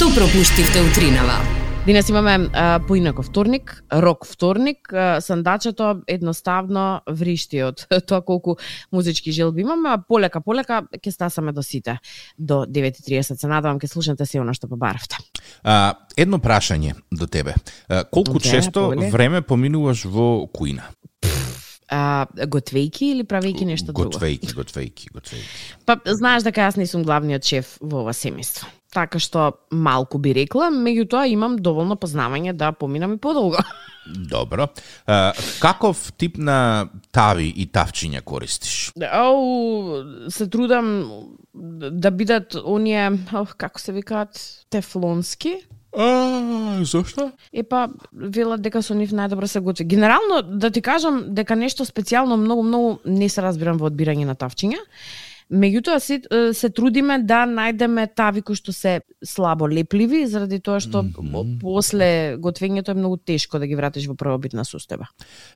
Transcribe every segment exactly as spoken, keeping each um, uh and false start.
Што пропуштивте утринава? Денес имаме а, поинаков вторник, рок вторник. А, сандачето едноставно вришти од тоа колку музички желби имаме, а полека полека ќе стасаме до сите. До девет и триесет се надевам ќе слушнете се она што побаравте. А, едно прашање до тебе. А, колку Де, често повели? време поминуваш во кујна? А, готвејки или правејки нешто друго? Готвејки, готвејки, готвејки. Па знаеш дека јас не сум главниот шеф во ова семејство. Така што малку би рекла, меѓутоа имам доволно познавање да поминам и подолго. Добро. А, каков тип на тави и тавчиња користиш? Ау, се трудам да бидат оние, ох, како се викаат, тефлонски. А, зошто? Епа, велат дека со нив најдобро се готви. Генерално, да ти кажам дека нешто специјално многу, многу не се разбирам во одбирање на тавчиња. Меѓутоа се, се трудиме да најдеме тави кои што се слабо лепливи, заради тоа што mm -hmm. после готвењето е многу тешко да ги вратиш во првобитна состојба.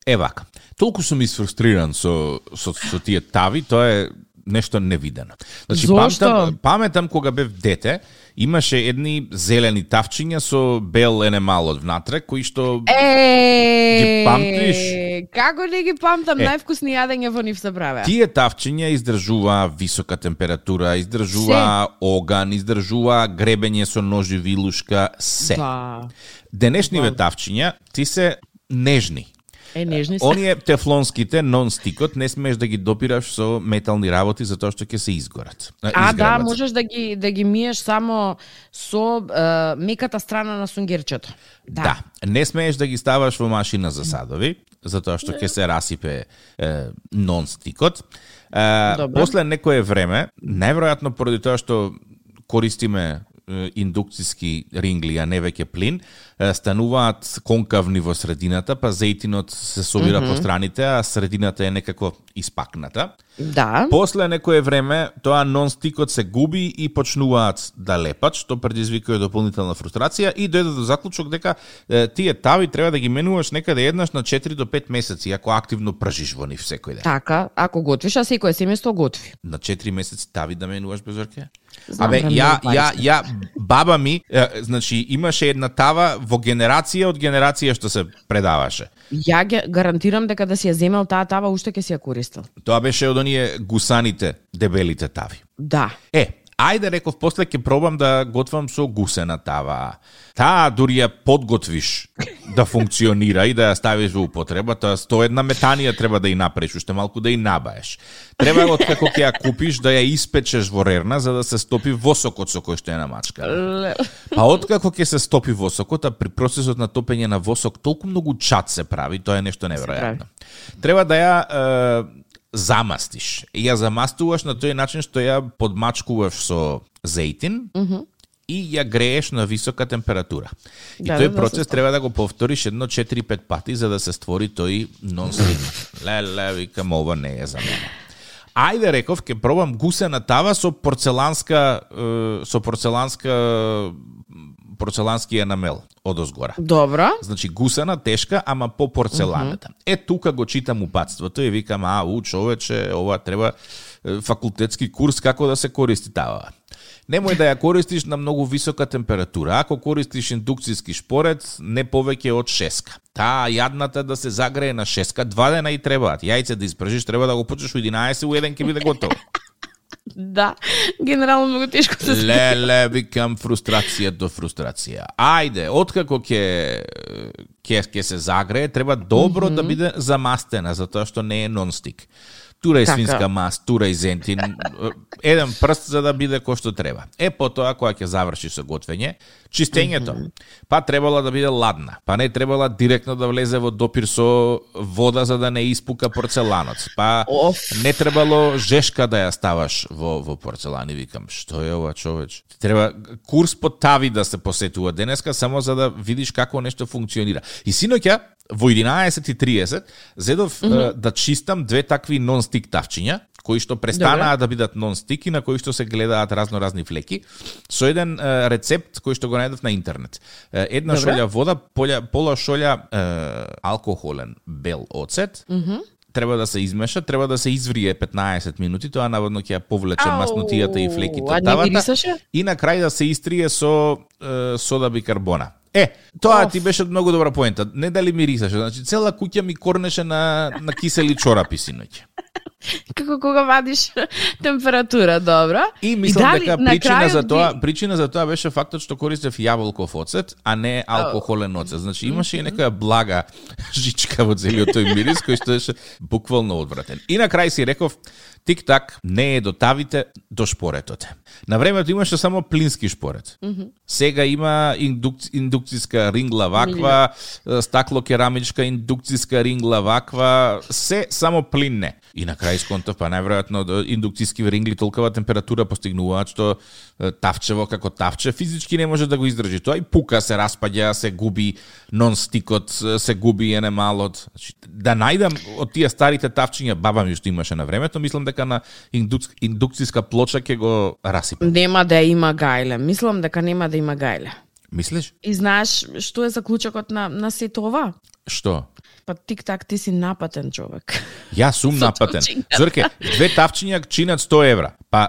Е вака, толку сум изфрустриран со, со, со тие тави, тоа е нешто невидено. Значи, Зошто? памтам, паметам кога бев дете, имаше едни зелени тавчиња со бел енемал од внатре, кои што Е, ги памтиш? Како не ги памтам, Е. највкусни јадења во нив се правеа. Тие тавчиња издржува висока температура, издржува оган, издржува гребење со нож и вилушка, се. Да. Денешниве Ба. тавчиња ти се нежни. Е, нежни се. Оние тефлонските нон-стикот не смееш да ги допираш со метални работи затоа што ќе се изгорат. А, да, изгребат. можеш да ги да ги миеш само со е, меката страна на сунгерчето. Да. Да, не смееш да ги ставаш во машина за садови, затоа што ќе се расипе е, нон-стикот. Е, Добро. после некое време, најверојатно поради тоа што користиме е, индукциски рингли, а не веќе плин, е, стануваат конкавни во средината, па зејтинот се собира mm -hmm. по страните, а средината е некако испакната. Да. После некое време тоа нон-стикот се губи и почнуваат да лепат, што предизвикува дополнителна фрустрација и дојде до заклучок дека е, тие тави треба да ги менуваш некаде еднаш на четири до пет месеци, ако активно пржиш во нив секој ден. Така, ако готвиш, а секој семејство готви. На четири месеци тави да менуваш без орке? Знам, Абе, време ја, многу ја, пари ја, баба ми, е, значи, имаше една тава во генерација од генерација што се предаваше. Ја ге гарантирам дека да си ја земел таа тава, уште ќе си ја користел. Тоа беше од оние гусаните, дебелите тави. Да. Е, ајде реков, после ќе пробам да готвам со гусена тава. Таа дури ја подготвиш да функционира и да ја ставиш во употреба, тоа сто една метанија треба да ја направиш, уште малку да ја набаеш. Треба откако ќе ја купиш да ја испечеш во рерна за да се стопи восокот со кој што ја намачка. Па откако ќе се стопи восокот, а при процесот на топење на восок толку многу чад се прави, тоа е нешто неверојатно. Треба да ја е, замастиш. И ја замастуваш на тој начин што ја подмачкуваш со зејтин mm -hmm. и ја грееш на висока температура. И Да, тој да, процес да, треба да го повториш едно четири-пет пати за да се створи тој нон-стик. Леле, викам, ова не е за мене. Ајде, реков, ќе пробам гусена тава со порцеланска е, со порцеланска порцелански енамел од озгора. Добро. Значи гусена, тешка, ама по порцеланата. Mm -hmm. Е, тука го читам упатството и викам, а, у, човече, ова треба е, факултетски курс како да се користи тава. Немој да ја користиш на многу висока температура. Ако користиш индукцијски шпорец, не повеќе од шеска. Таа јадната да се загрее на шеска, два дена и требаат. Јајце да испржиш, треба да го почнеш у единаесет, у еден ќе биде готово. Да, генерално многу тешко се справи. Леле, викам, фрустрација до фрустрација. Ајде, откако ќе ќе ќе се загрее, треба добро mm -hmm. да биде замастена, затоа што не е нон-стик. Тура и Така. свинска маст, тура и зентин, еден прст за да биде кој што треба. Е, потоа, кога ќе заврши со готвење, чистењето, mm -hmm. па требала да биде ладна, па не требала директно да влезе во допир со вода за да не испука порцеланот, па Оф. не требало жешка да ја ставаш во, во порцелан. И викам, што е ова, човеч? Треба курс по тави да се посетува денеска, само за да видиш како нешто функционира. И синоќа, во единаесет и триесет, зедов mm -hmm. да чистам две такви нон-стик тавчиња, кои што престанаа Добре. да бидат нон-стик и на кои што се гледаат разно-разни флеки, со еден е, рецепт кој што го најдов на интернет. Е, една Добре. шолја вода, пола, пола шолја е, алкохолен бел оцет, Mm -hmm. треба да се измеша, треба да се изврие петнаесет минути, тоа наводно ќе ја повлече маснотијата и флеките од тавата. И на крај да се истрие со е, сода бикарбона. Е, тоа Оф. Ти беше многу добра поента. Не дали мирисаше, значи цела куќа ми корнеше на на кисели чорапи синоќ. Како кога вадиш температура, добро. И мислам и дека причина за тоа, би... причина за тоа беше фактот што користев јаболков оцет, а не алкохолен оцет. Значи имаше и некоја блага жичка во целиот тој мирис кој што беше буквално одвратен. И на крај си реков, тик-так, не е до тавите, до шпоретот. На времето имаше само плински шпорет. Mm -hmm. Сега има индук... индукцијска рингла ваква, стакло керамичка индукцијска рингла ваква, се само плин не. И на крај сконтав, па најверојатно индукцијски рингли толкова температура постигнуваат што тавчево како тавче физички не може да го издржи. Тоа и пука, се распаѓа, се губи нон-стикот, се губи енемалот. Значи, да најдам од тие старите тавчиња, баба ми што имаше на времето, мислам дека на индук... индукцијска плоча ќе го расипам. Нема да има гајле. Мислам дека нема да има гајле. Мислиш? И знаеш што е заклучокот на на сето ова? Што? Па тик-так ти си напатен човек. Јас сум напатен. Зорке, две тавчиња чинат сто евра. Па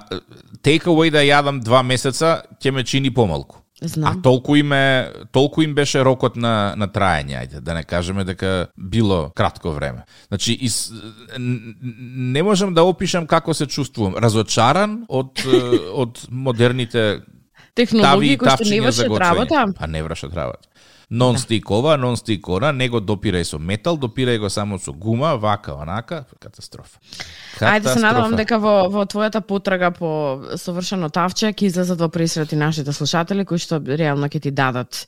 take away да јадам два месеца ќе ме чини помалку. Знам. А толку им е, толку им беше рокот на на траење, ајде, да не кажеме дека било кратко време. Значи из, не можам да опишам како се чувствувам, разочаран од од модерните технологии кои што не вршат работа. Па не вршат работа. Нон-стик ова, нон-стик ора, не го допирај со метал, допирај го само со гума, вака, онака, катастрофа. Катастрофа. Ајде се надевам дека во, во твојата потрага по совршено тавче ќе излезат во пресрет и нашите слушатели кои што реално ќе ти дадат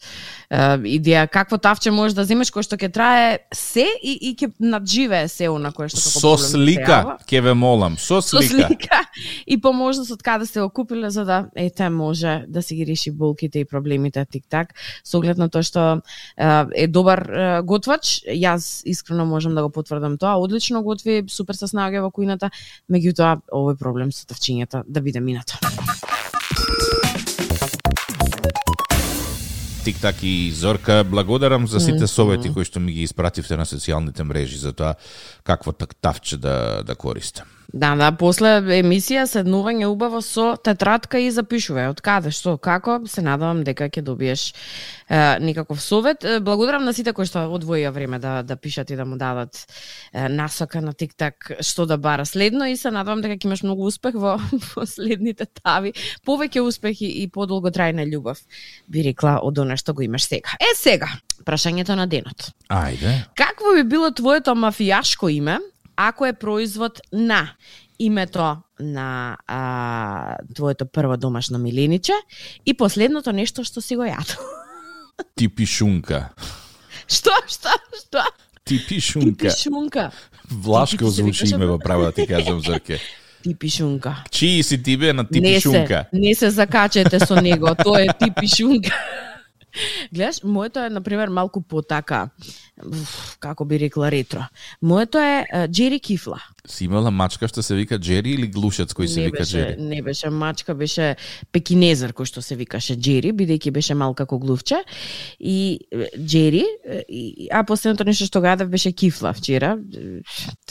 е, идеја какво тавче можеш да земеш кој што ќе трае се и, и ќе надживее се она кое што како со слика, ќе ве молам, со слика. Со слика и по можност од каде сте го купиле за да ете може да си ги реши болките и проблемите тик-так со оглед на тоа што е добар готвач. Јас искрено можам да го потврдам тоа. Одлично готви, супер се снаоѓа во кујната, меѓутоа овој проблем со тавчињата да биде минато. Тик-так и Зорка, благодарам за сите совети кои што ми ги испративте на социјалните мрежи за тоа какво тавче да да користам. Да, да, после емисија седнување убаво со тетрадка и запишувај од каде, што, како, се надевам дека ќе добиеш е, некаков совет. Благодарам на сите кои што одвоија време да да пишат и да му дадат е, насока на тик-так што да бара следно и се надевам дека ќе имаш многу успех во последните тави, повеќе успех и, и подолготрајна љубов, би рекла, од она што го имаш сега. Е, сега, прашањето на денот. Ајде. Какво би било твоето мафијашко име ако е производ на името на а, твоето прво домашно милениче и последното нешто што си го јадол? Типишунка. Што, што, што? Типишунка. Типишунка. Влашко звучи име во право да ти кажам, Зорке. Типишунка. Чии си ти бе на Типишунка? Не се, не се закачете со него, тоа е Типишунка. Гледаш, моето е, например, малку потака, како би рекла, ретро. Моето е Джери Кифла. Си имала мачка што се вика Джери или глушец кој се не вика беше, Джери? Не беше мачка, беше пекинезер кој што се викаше Джери, бидејќи беше мал како глувче. И Джери, и, а последното нешто што го јадев беше Кифла вчера.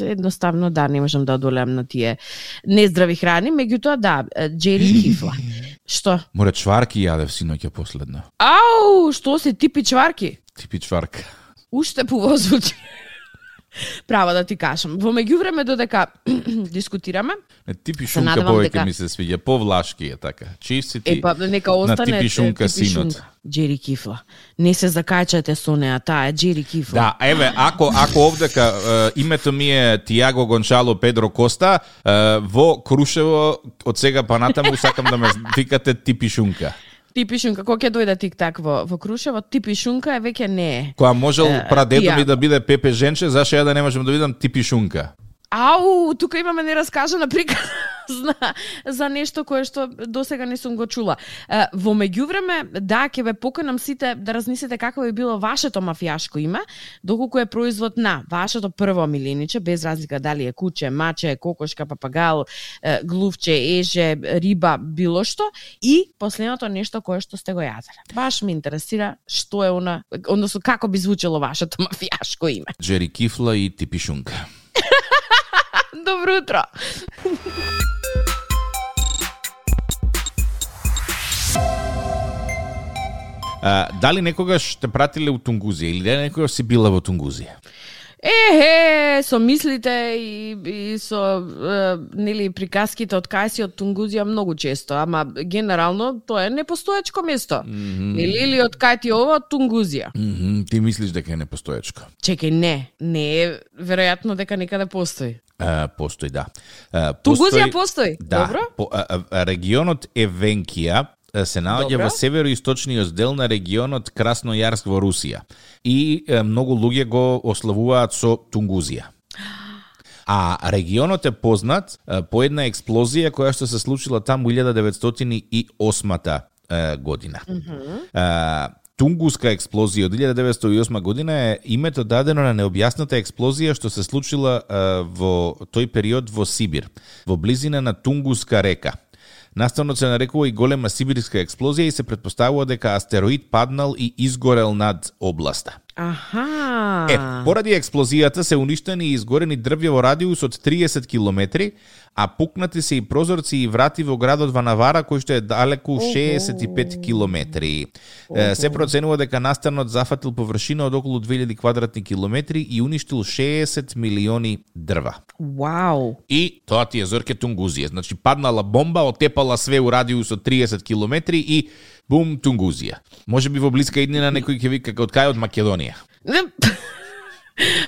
Едноставно, да, не можам да одолеам на тие нездрави храни, меѓутоа да, Джери Кифла. Што? Море чварки јадев синоќа последно. Ау, што се типи чварки? Типи чварка. Уште повозвучи. Право да ти кажам. Во меѓувреме додека дискутираме, типи шунка повеќе дека... ми се свиѓа, повлашки е така. Чисти ти. Е па нека остане на типи шунка синот. Джери Кифла. Не се закајчате со неа, таа е Джери Кифла. Да, еве, ако ако овдека е, името ми е Тиаго Гончало Педро Коста, е, во Крушево од сега па натаму сакам да ме викате типи шунка. Типишунка, кога ќе дојде тик-так во, во Крушево, Типишунка е веќе не е. Која можел прадедо ми да биде Пепе Женче, зашто ја да не можам да видам Типишунка? Ау, тука имаме нераскажана приказна за нешто кое што досега не сум го чула. Во меѓувреме, да, ќе ве поканам сите да размислите како би било вашето мафијашко име, доколку е производ на вашето прво милениче, без разлика дали е куче, маче, кокошка, папагал, глувче, еже, риба, било што, и последното нешто кое што сте го јаделе. Баш ме интересира што е она, односно како би звучело вашето мафијашко име. Джери Кифла и Типишунка. Добро утро. А, дали некогаш те пратиле у Тунгузија или дали некогаш си била во Тунгузија? Ехе, со мислите и, и со е, нели приказките од кај си од Тунгузија многу често, ама генерално тоа е непостоечко место. Mm -hmm. Нели или од кај ти ова од Тунгузија? Mm -hmm. Ти мислиш дека е непостоечко? Чекај, не, не е веројатно дека некаде постои. Uh, постои, да. Uh, Тунгузија постои, да, добро? По, uh, регионот Евенкија се наоѓа во североисточниот дел на регионот Краснојарск во Русија. И uh, многу луѓе го ославуваат со Тунгузија. А регионот е познат uh, по една експлозија која што се случила таму илјада деветстотини и осма uh, година. Mm -hmm. uh, Тунгуска експлозија од илјада деветстотини и осма година е името дадено на необјасната експлозија што се случила uh, во тој период во Сибир, во близина на Тунгуска река. Наставно се нарекува и голема сибирска експлозија и се претпоставува дека астероид паднал и изгорел над областа. Аха. Е, поради експлозијата се уништени и изгорени дрвја во радиус од триесет километри, а пукнати се и прозорци и врати во градот Ванавара, кој што е далеку шеесет и пет километри. Е, се проценува дека настанот зафатил површина од околу две илјади квадратни километри и уништил шеесет милиони дрва. Вау. И тоа ти е Зорке Тунгузија. Значи паднала бомба, отепала све у радиус од триесет километри и бум, Тунгузија. Може би во блиска иднина некој ќе вика од кај од Македонија.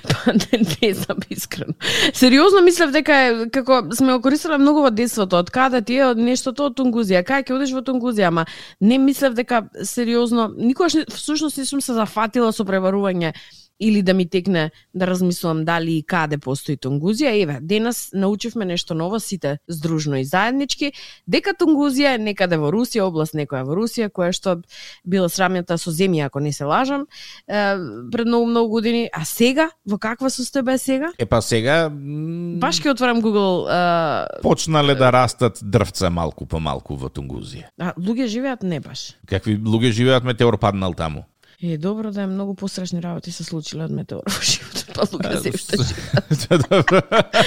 Па не, не знам искрено. Сериозно мислев дека е, како сме го користеле многу во детството, од каде ти е нештото од Тунгузија, кај ќе одиш во Тунгузија, ама не мислев дека сериозно, никогаш всушност не сум се зафатила со пребарување или да ми текне да размислувам дали и каде постои Тунгузија. Еве, денес научивме нешто ново сите здружно и заеднички, дека Тунгузија е некаде во Русија, област некоја во Русија, која што била срамјата со земја, ако не се лажам, е, пред многу многу години. А сега, во каква состојба е сега? Е па сега баш ќе отворам Google. Е... Почнале да растат дрвца малку по малку во Тунгузија. А луѓе живеат не баш. Какви луѓе живеат, метеор паднал таму? Е, добро да е многу пострашни работи се случиле од метеор во животот, па луѓе се уште живеат.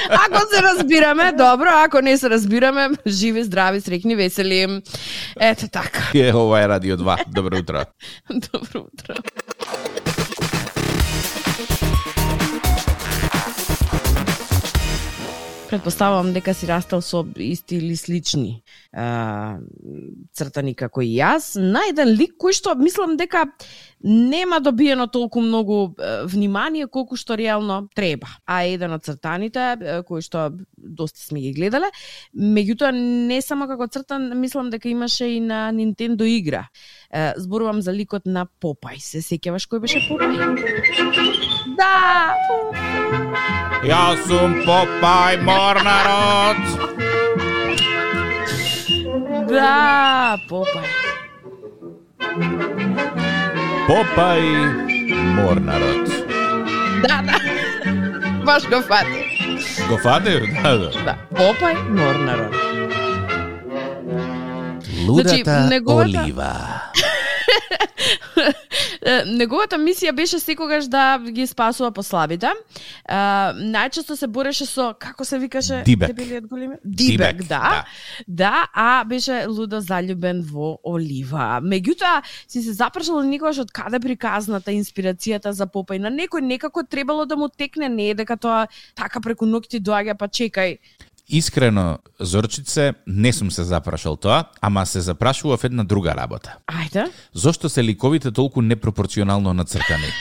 Ако се разбираме, добро, ако не се разбираме, живи, здрави, среќни, весели. Ете така. Е, ова е Радио два. Добро утро. Добро утро. Предпоставувам дека си растал со исти или слични а, цртани како и јас. На еден лик кој што мислам дека нема добиено толку многу а, внимание колку што реално треба. А еден од цртаните а, кој што доста сме ги гледале, меѓутоа не само како цртан, мислам дека имаше и на Nintendo игра. А, зборувам за ликот на Попај. Се сеќаваш кој беше Попај? Да! Јас сум Попај Морнарот. Да, Попај. Попај Морнарот. Да, да. Баш го фати. Го фатев? Да, да. Да, Попај Морнарот. Лудата значи, неговата... олива. Неговата мисија беше секогаш да ги спасува послабите. Uh, најчесто се бореше со, како се викаше? Дибек. Дебелиот големи? Дибек, Дибек, да. Да, да, а беше лудо заљубен во Олива. Меѓутоа, си се запрашал никогаш од каде приказната инспирацијата за Попај. На некој некако требало да му текне, не е дека тоа така преку ноќти доаѓа, па чекај. Искрено, Зорчице, не сум се запрашал тоа, ама се запрашував една друга работа. Ајде. Зошто се ликовите толку непропорционално нацртани?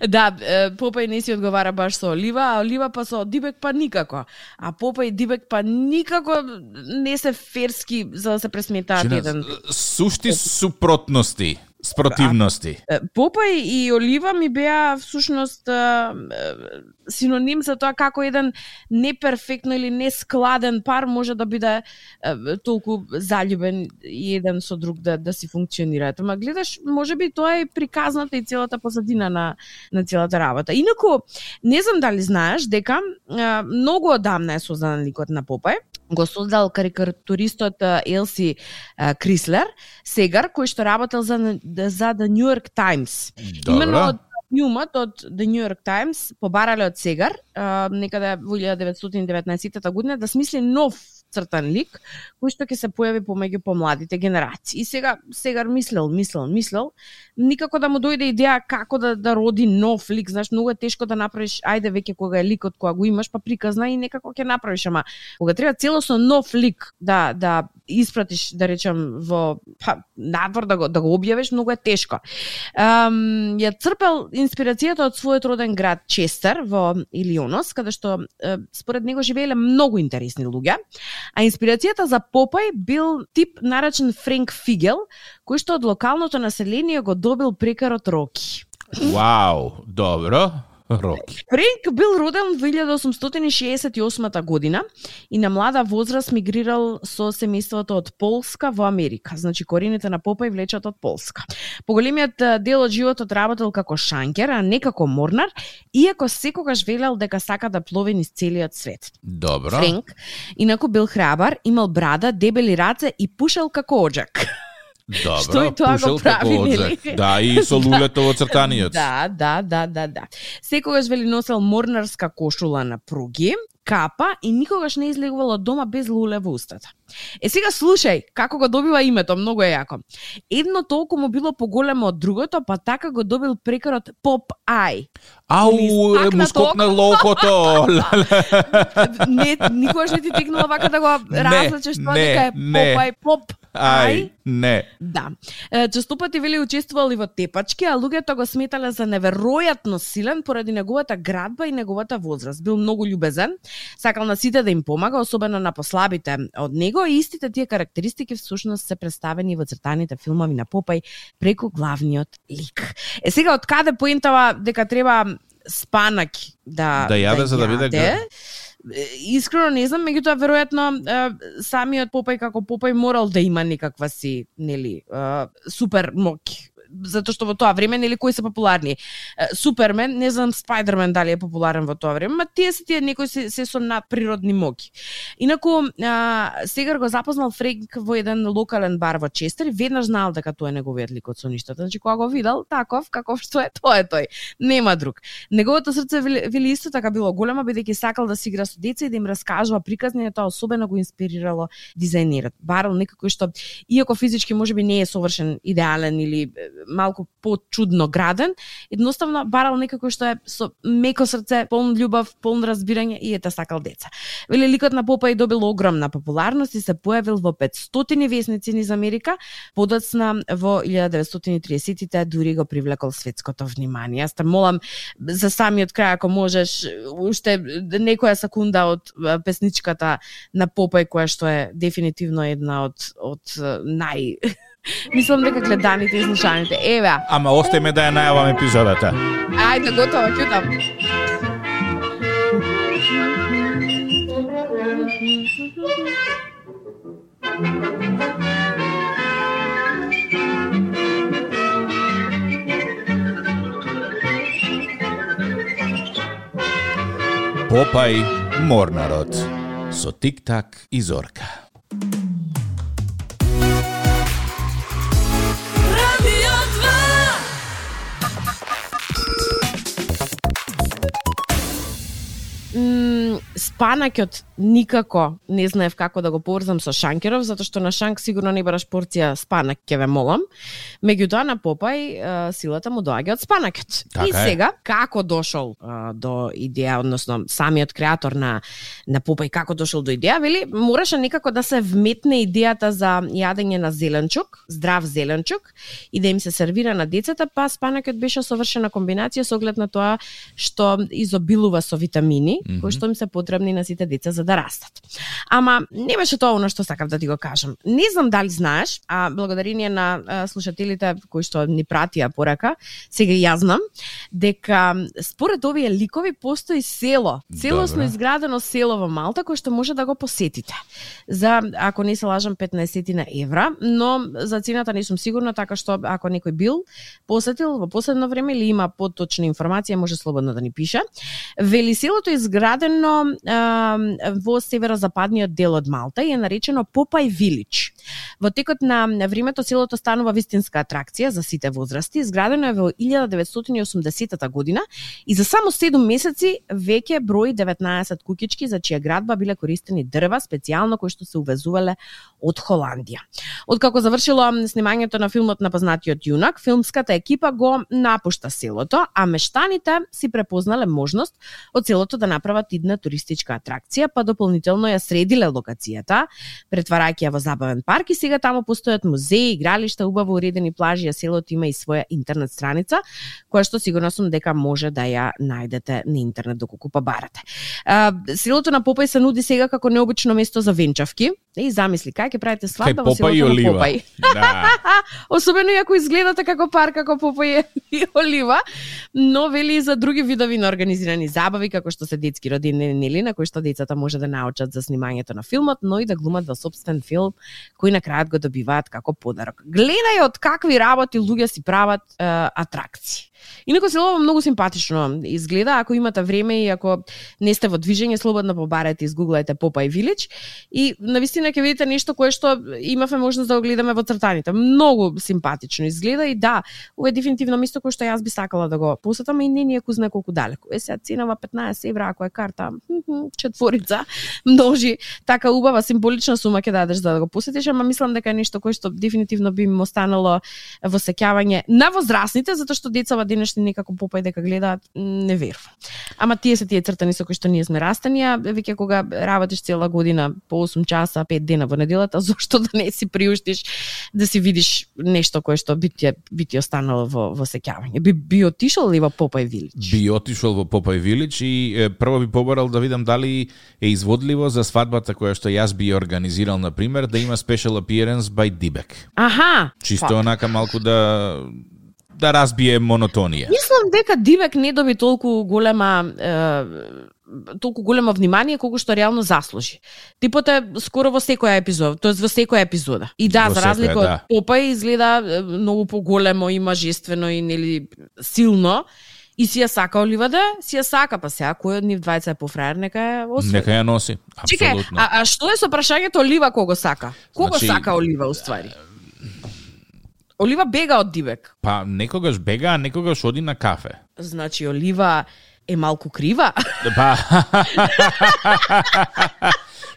Да, Попај не си одговара баш со Олива, а Олива па со Дибек па никако. А Попај и Дибек па никако не се ферски за да се пресметаат еден. Сушти супротности. Спротивности. Попај и Олива ми беа всушност синоним за тоа како еден неперфектно или нескладен пар може да биде толку заљубен и еден со друг да да си функционираат. Ама гледаш, можеби тоа е приказната и целата позадина на на целата работа. Инаку не знам дали знаеш дека многу одамна е создан ликот на Попај. Го создал карикатуристот Елси Крислер, сегар, кој што работел за, за The New York Times. Добро. Именно од филмот од The New York Times побарале од Сегар, некаде во илјада деветстотини и деветнаесетта година, да смисли нов цртан лик кој што ќе се појави помеѓу помладите генерации. И сега Сегар мислел, мислел, мислел, никако да му дојде идеја како да да роди нов лик. Знаеш, многу е тешко да направиш, ајде веќе кога е ликот кога го имаш, па приказна и некако ќе направиш, ама кога треба целосно нов лик да да испратиш, да речем, во па, надвор да го да го објавиш, многу е тешко. Ам, ја црпел инспирацијата од својот роден град Честер во Илионос, каде што е, според него живееле многу интересни луѓе, а инспирацијата за Попај бил тип наречен Френк Фигел, кој што од локалното население го добил прекарот Роки. Вау, добро. Роки. Френк бил роден во илјада осумстотини шеесет и осма година и на млада возраст мигрирал со семејството од Полска во Америка. Значи корените на Попај влечат од Полска. Поголемиот дел од животот работел како шанкер, а не како морнар, иако секогаш велел дека сака да плови низ целиот свет. Добро. Френк инаку бил храбар, имал брада, дебели раце и пушел како оџак. Добро, што и тоа го прави, нели? Да, и со лулето во цртаниот. Да, да, да, да, да. Секогаш вели носел морнарска кошула на пруги, капа и никогаш не излегувал од дома без луле во устата. Е сега слушај, како го добива името, многу е јако. Едно толку му било поголемо од другото, па така го добил прекарот Поп Ај. Ау, му скокна локото. Не, никогаш не ти текнува вака да го различиш тоа дека е Поп Ај, Поп Ај. Не. Да. Честопати вели учествувал и во тепачки, а луѓето го сметале за неверојатно силен поради неговата градба и неговата возраст. Бил многу љубезен, сакал на сите да им помага, особено на послабите од него, и истите тие карактеристики всушност се представени во цртаните филмови на Попај преку главниот лик. Е сега од каде поентава дека треба спанак да да јаде да за да биде град? Искрено не знам, меѓутоа веројатно самиот Попај како Попај морал да има некаква си, нели, супер моќ. Затоа што во тоа време, нели, кои се популарни? Супермен, не знам Спајдермен дали е популарен во тоа време, ма тие се тие некои се, се со надприродни моќи. Инаку, а, Сегар го запознал Френк во еден локален бар во Честер и веднаш знаел дека тоа е неговиот лик од соништата. Значи, кога го видел, таков, каков што е, тоа е тој. Нема друг. Неговото срце, вели, исто така било големо, бидејќи сакал да си игра со деца и да им раскажува приказни, тоа особено го инспирирало дизајнерот. Барал некој што, иако физички можеби не е совршен, идеален или малку почудно граден, едноставно барал некој што е со меко срце, полн љубов, полн разбирање и ете сакал деца. Вели ликот на Попај добил огромна популарност и се појавил во петстотини весници низ Америка, подоцна во илјада деветстотини и тридесеттите дури го привлекол светското внимание. Јас те молам за самиот крај, ако можеш, уште некоја секунда од песничката на Попај, која што е дефинитивно една од од нај Мислам дека гледаните и слушаните. Еве. Ама остајме да ја најавам епизодата. Ајде, готово, ќутам. Попај морнарот со Тик-так и Зорка. Спанакот никако не знаев како да го поврзам со шанкеров, затоа што на шанк сигурно не бараш порција спанак, ќе ве молам. Меѓутоа на Попај силата му доаѓа од спанакот. Така и е. сега како дошол а, до идеја, односно самиот креатор на на Попај како дошол до идеја, вели мораше некако да се вметне идејата за јадење на зеленчук, здрав зеленчук и да им се сервира на децата, па спанакот беше совршена комбинација со оглед на тоа што изобилува со витамини, mm-hmm. кои што им се потребни на сите деца за да растат. Ама не беше тоа она што сакав да ти го кажам. Не знам дали знаеш, а благодарение на а, слушателите кои што ни пратија порака, сега ја знам дека според овие ликови постои село, целосно Добре. изградено село во Малта кој што може да го посетите. За, ако не се лажам, петнаесет евра, но за цената не сум сигурна, така што ако некој бил посетил во последно време или има поточна информација, може слободно да ни пише. Вели селото е изградено а, во северозападниот дел од Малта и е наречено Popeye Village. Во текот на времето селото станува вистинска атракција за сите возрасти. Изградено е во илјада деветстотини и осумдесета година и за само седум месеци веќе брои деветнаесет куќички за чија градба биле користени дрва специјално кои што се увезувале од Холандија. Откако завршило снимањето на филмот на познатиот јунак, филмската екипа го напушта селото, а мештаните си препознале можност од селото да направат идна туристичка атракција, па дополнително ја средиле локацијата, претварајќи ја во забавен парк и сега таму постојат музеи, игралишта, убаво уредени плажи, а селото има и своја интернет страница, која што сигурно сум дека може да ја најдете на интернет доколку па барате. А, селото на Попај се нуди сега како необично место за венчавки. И замисли, кај ќе правите свадба во селото на Попај. Да. Особено и ако изгледате како парк, како Попај и Олива, но вели и за други видови на организирани забави, како што се детски родини нели, на кои што децата може да научат за снимањето на филмот, но и да глумат во собствен филм, кој на крајот го добиваат како подарок. Гледај од какви работи луѓе си прават е, атракции. Инаку селото многу симпатично изгледа, ако имате време и ако не сте во движење, слободно побарете, изгуглајте Popeye Village и навистина ќе видите нешто кое што имавме можност да го гледаме во цртаните. Многу симпатично изгледа и да, ова е дефинитивно место кое што јас би сакала да го посетам и не ни е кузне колку далеку. Е сега ценава петнаесет евра, ако е карта четворица, множи, така убава символична сума ќе дадеш за да го посетиш, ама мислам дека е нешто кое што дефинитивно би им останало во сеќавање на возрастните, затоа што децава денешни некако Попај дека гледаат, не верувам. Ама тие се тие цртани со кои што ние сме растени, а веќе кога работиш цела година по осум часа, пет дена во неделата, зошто да не си приуштиш да си видиш нешто кое што би ти, би ти останало во, во сеќавање. Би, би отишол ли во Popeye Village? Би отишол во Popeye Village и е, прво би побарал да видам дали е изводливо за свадбата која што јас би организирал, на пример, да има special appearance by Дибек. Аха! Чисто па. Онака малку да да разбие монотонија. Мислам дека Дибек не доби толку голема е, толку големо внимание колку што реално заслужи. Типот е скоро во секоја епизода, тоест во секоја епизода. И да, во за разлика од да. Попај изгледа многу поголемо и мажествено и нели силно. И си ја сака Оливаде, си ја сака, па сега кој од нив двајца е пофраер, нека ја освои. Нека ја носи, апсолутно. Чекай, а, а што е со прашањето Олива кого сака? Кого значи, сака Олива уствари? Олива бега од Дибек. Па некогаш бега, а некогаш оди на кафе. Значи Олива е малку крива. Па.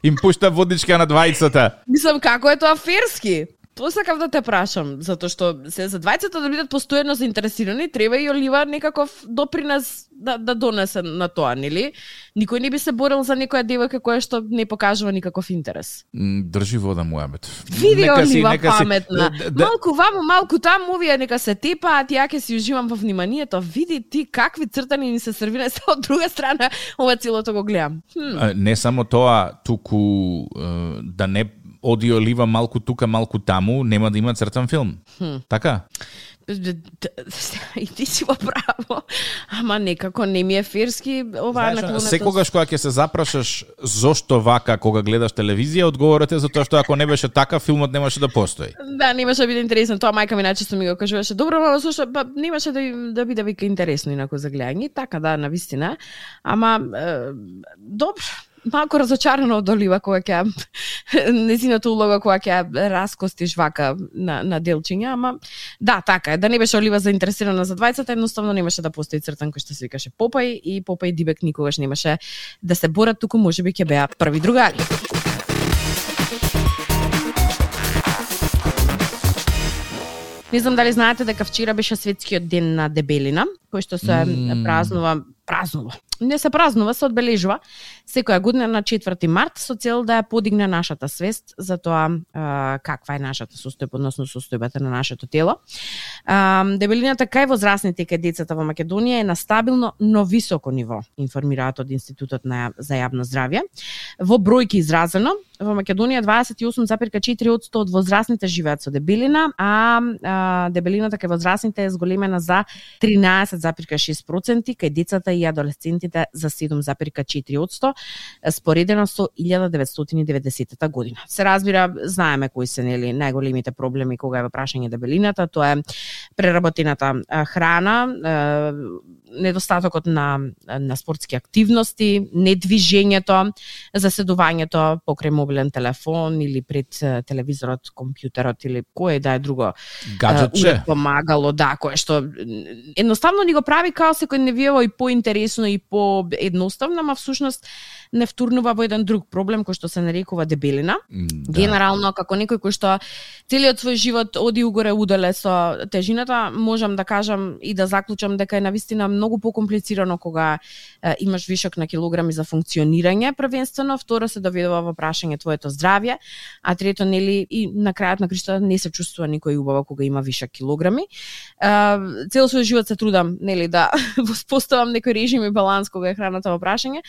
Им пушта водичка на двајцата. Мислам како е тоа ферски? Тоа сакав да те прашам, затоа што се за двајцата да бидат постојано заинтересирани, треба и Олива некаков допринес да, да донесе на тоа, нели? Никој не би се борил за некоја девојка која што не покажува никаков интерес. Држи вода муабет. Види Олива паметна. Си, да, малку ваму, малку таму, овие нека се тепаат, ја ќе си уживам во вниманието. Види ти какви цртани ни се сервира, се од друга страна ова целото го гледам. Хм. Не само тоа, туку да не оди Олива малку тука, малку таму, нема да има цртан филм. Хм. Така? И ти си во право. Ама некако не ми е ферски ова наклонето. Секогаш кога ќе се запрашаш зошто вака кога гледаш телевизија, одговорот е затоа што ако не беше така, филмот немаше да постои. Да, немаше да биде интересно. Тоа мајка ми најчесто ми го кажуваше. Добро, ама зошто па немаше да да биде вика интересно инаку за гледање. Така да, навистина. Ама е, добро. Малку разочарано од Олива кога ќе незината улога кога ќе раскостиш вака на, на делчиња, ама да, така е. Да не беше Олива заинтересирана за двајцата, едноставно немаше да постои цртан кој што се викаше Попај и Попај и Дибек никогаш немаше да се борат, туку можеби ќе беа први другари. Не знам дали знаете дека вчера беше светскиот ден на дебелина, кој што се mm. празнува, празнува. Не се празнува, се одбележува секоја година на четврти март со цел да ја подигне нашата свест за тоа а, каква е нашата состојба, односно состојбата на нашето тело. А, дебелината кај возрастните и кај децата во Македонија е на стабилно, но високо ниво, информираат од Институтот на за јавно здравје. Во бројки изразено, во Македонија дваесет и осум запирка четири одсто од возрастните живеат со дебелина, а, а дебелината кај возрастните е зголемена за тринаесет запирка шест проценти, кај децата и адолесцентите за седум запирка четири одсто, споредено со илјада деветстотини и деветдесетта година. Се разбира, знаеме кои се нели најголемите проблеми кога е во прашање дебелината, тоа е преработената храна, недостатокот на на спортски активности, недвижењето, заседувањето покрај мобилен телефон или пред телевизорот, компјутерот или кое да е друго гаджетче помагало, да, кое што едноставно ни го прави као секој невиево и поинтересно и поедноставно, ама всушност не втурнува во еден друг проблем кој што се нарекува дебелина. Да. Генерално, како некој кој што целиот свој живот оди угоре удале со тежината, можам да кажам и да заклучам дека е навистина многу покомплицирано кога е, имаш вишок на килограми за функционирање, првенствено, второ се доведува во прашање твоето здравје, а трето нели и на крајот на криштата не се чувствува никој убаво кога има вишок килограми. Е, цел свој живот се трудам нели да воспоставам некој режим и баланс кога е храната во прашање.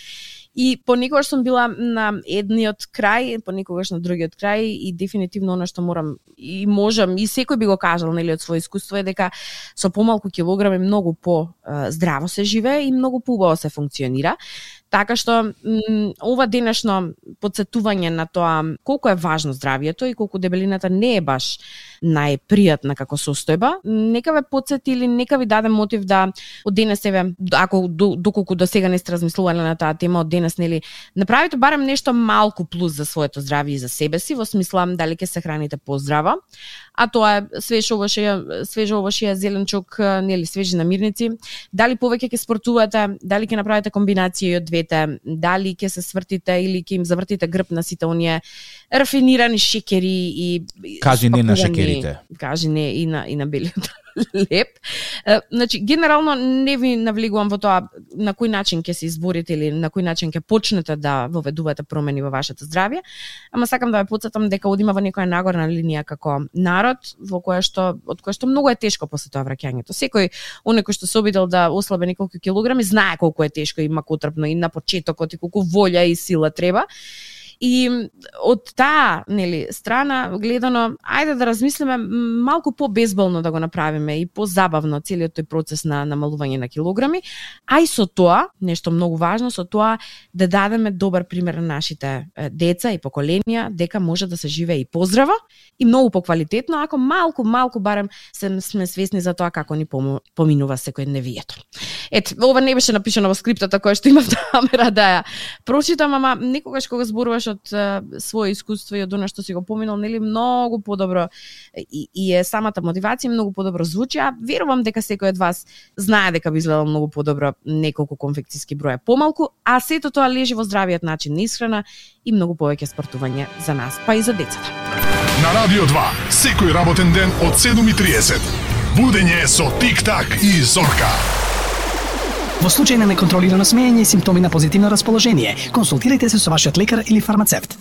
И понекогаш сум била на едниот крај, понекогаш на другиот крај и дефинитивно она што морам и можам и секој би го кажал нели од свој искуство е дека со помалку килограми многу по здраво се живее и многу поубаво се функционира. Така што м, ова денешно подсетување на тоа колку е важно здравјето и колку дебелината не е баш најпријатна како состојба, нека ве подсети или нека ви даде мотив да од денес еве, ако доколку до сега не сте размислувале на таа тема, од денес нели направите барем нешто малку плюс за своето здравје и за себе си, во смисла дали ќе се храните поздраво, а тоа е свеж овошје, свеж овошје, зеленчук, нели свежи намирници, дали повеќе ќе спортувате, дали ќе направите комбинација од двете, дали ќе се свртите или ќе им завртите грб на сите оние рафинирани шекери и кажи не на шекерите. Кажи не и на и на белиот леп. Значи генерално не ви навлегувам во тоа на кој начин ќе се изборите или на кој начин ќе почнете да воведувате промени во вашето здравје, ама сакам да ве потсетам дека одиме во некоја нагорна линија како народ, во која што од која што многу е тешко после тоа враќањето. Секој оној кој што се обидел да ослабе неколку килограми знае колку е тешко и макотрпно и на почетокот и колку волја и сила треба. И од таа нели страна гледано, ајде да размислиме малку по-безболно да го направиме и позабавно целиот тој процес на намалување на килограми, а и со тоа, нешто многу важно, со тоа да дадеме добар пример на нашите деца и поколенија дека може да се живее и поздраво и многу поквалитетно ако малку малку барем се сме свесни за тоа како ни поминува секој невието. Ет, ова не беше напишано во скриптата која што имав намера да ја прочитам, ама некогаш кога зборуваш од uh, свое искуство и од она што си го поминал, нели многу подобро и, и е самата мотивација многу подобро звучи, а верувам дека секој од вас знае дека би изгледал многу подобро неколку конфекцијски броја помалку, а сето тоа лежи во здравиот начин на исхрана и многу повеќе спортување за нас, па и за децата. На Радио два, секој работен ден од седум и триесет. Будење со Тик-так и Зорка. Во случај на неконтролирано смеење и симптоми на позитивно расположение, консултирајте се со вашиот лекар или фармацевт.